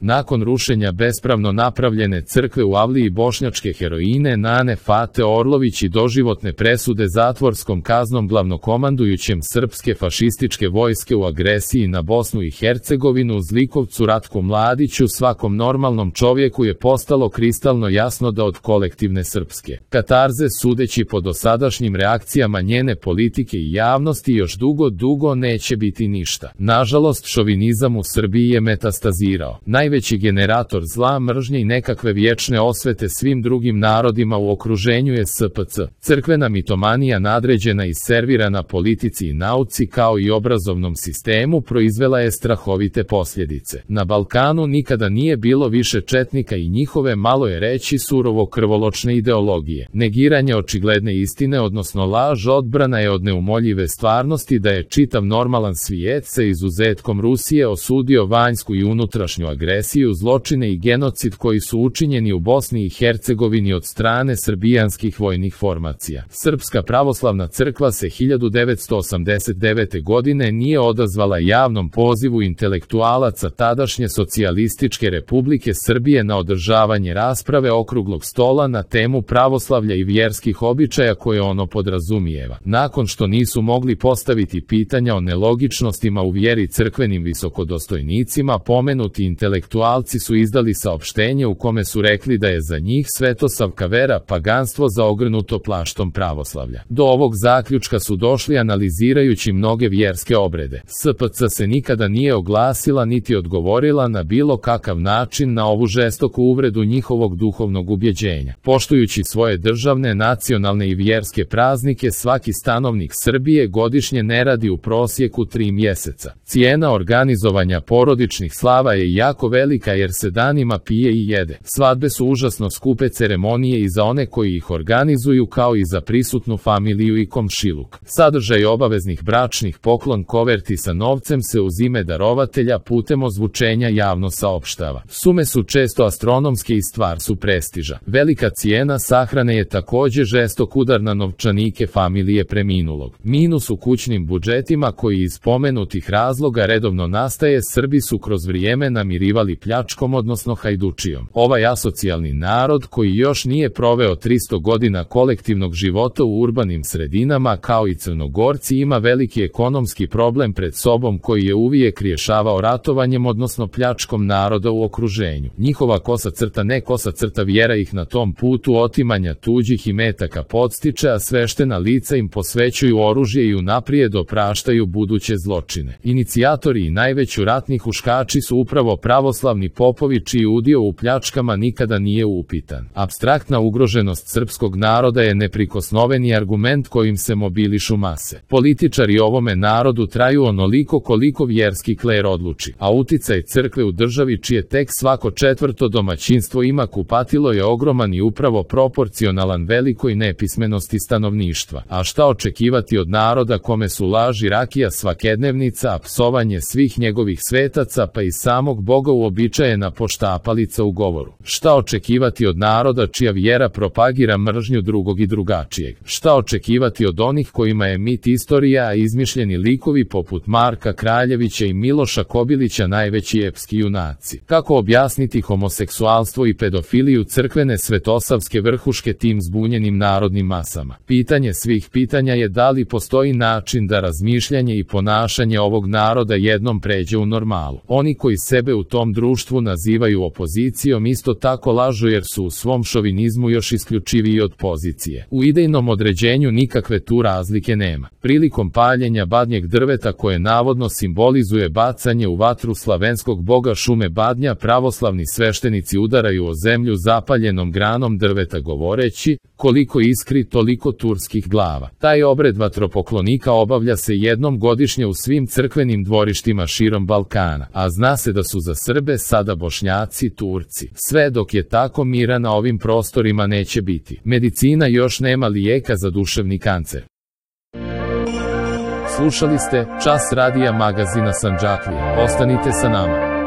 Nakon rušenja bespravno napravljene crkve u Avliji bošnjačke heroine Nane Fate Orlović i doživotne presude zatvorskom kaznom glavnokomandujućem srpske fašističke vojske u agresiji na Bosnu i Hercegovinu zlikovcu Ratku Mladiću, svakom normalnom čovjeku je postalo kristalno jasno da od kolektivne srpske katarze, sudeći po dosadašnjim reakcijama njene politike i javnosti, još dugo neće biti ništa. Nažalost, šovinizam u Srbiji je metastazirao. Najveći generator zla, mržnje i nekakve vječne osvete svim drugim narodima u okruženju je SPC. Crkvena mitomanija nadređena i servirana politici i nauci kao i obrazovnom sistemu proizvela je strahovite posljedice. Na Balkanu nikada nije bilo više četnika i njihove, malo je reći, surovo krvoločne ideologije. Negiranje očigledne istine, odnosno laž, odbrana je od neumoljive stvarnosti da je čitav normalan svijet, sa izuzetkom Rusije, osudio vanjsku i unutrašnju agresiju, zločine i genocid koji su učinjeni u Bosni i Hercegovini od strane srbijanskih vojnih formacija. Srpska pravoslavna crkva se 1989. godine nije odazvala javnom pozivu intelektualaca tadašnje Socijalističke Republike Srbije na održavanje rasprave okruglog stola na temu pravoslavlja i vjerskih običaja koje ono podrazumijeva. Nakon što nisu mogli postaviti pitanja o nelogičnostima u vjeri crkvenim visokodostojnicima, pomenuti intelektualci su izdali saopštenje u kome su rekli da je za njih svetosavka vera paganstvo zaogrnuto plaštom pravoslavlja. Do ovog zaključka su došli analizirajući mnoge vjerske obrede. SPC se nikada nije oglasila niti odgovorila na bilo kakav način na ovu žestoku uvredu njihovog duhovnog ubjeđenja. Poštujući svoje državne, nacionalne i vjerske praznike, svaki stanovnik Srbije godišnje ne radi u prosjeku 3 mjeseca. Cijena organizovanja porodičnih slava je jako velika jer se danima pije i jede. Svadbe su užasno skupe ceremonije i za one koji ih organizuju, kao i za prisutnu familiju i komšiluk. Sadržaj obaveznih bračnih poklon koverti sa novcem se uz ime darovatelja putem ozvučenja javno saopštava. Sume su često astronomske i stvar su prestiža. Velika cijena sahrane je također žestok udar na novčanike familije preminulog. Minus u kućnim budžetima koji iz spomenutih razloga redovno nastaje, Srbi su kroz vrijeme namirivali pljačkom, odnosno hajdučijom. Ovaj asocijalni narod, koji još nije proveo 300 godina kolektivnog života u urbanim sredinama kao i Crnogorci, ima veliki ekonomski problem pred sobom koji je uvijek rješavao ratovanjem, odnosno pljačkom naroda u okruženju. Njihova ne kosa crta vjera ih na tom putu otimanja tuđih imetaka podstiče, a sveštena lica im posvećuju oružje i unaprijed opraštaju buduće zločine. Inicijatori i najveći ratni huškači su upravo pravoslavni popovi čiji udio u pljačkama nikada nije upitan. Apstraktna ugroženost srpskog naroda je neprikosnoveni argument kojim se mobilišu mase. Političari ovome narodu traju onoliko koliko vjerski kler odluči, a uticaj crkve u državi, čije tek svako 4. domaćinstvo ima kupatilo, je ogroman i upravo proporcionalan velikoj nepismenosti stanovništva. A šta očekivati od naroda kome su laž i rakija svakednevnica, a psovanje svih njegovih svetaca pa i samog Boga uobičajena poštapalica u govoru? Šta očekivati od naroda čija vjera propagira mržnju drugog i drugačijeg? Šta očekivati od onih kojima je mit istorija, a izmišljeni likovi poput Marka Kraljevića i Miloša Kobilića najveći epski junaci? Kako objasniti homoseksualstvo i pedofiliju crkvene svetosavske vrhuške tim zbunjenim narodnim masama? Pitanje svih pitanja je da li postoji način da razmišljanje i ponašanje ovog naroda jednom pređe u normalu. Oni koji sebe u tom društvu nazivaju opozicijom isto tako lažu jer su u svom šovinizmu još isključiviji od pozicije. U idejnom određenju nikakve tu razlike nema. Prilikom paljenja badnjeg drveta koje navodno simbolizuje bacanje u vatru slavenskog boga šume badnja, pravoslavni sveštenici udaraju o zemlju zapaljenom granom drveta govoreći: koliko iskri, toliko turskih glava. Taj obred vatropoklonika obavlja se jednom godišnje u svim crkvenim dvorištima širom Balkana, a zna se da su za Srbe sada Bošnjaci Turci. Sve dok je tako, mira na ovim prostorima neće biti. Medicina još nema lijeka za duševni kancer. Slušali ste Čas radija magazina Sandžaklija. Ostanite sa nama.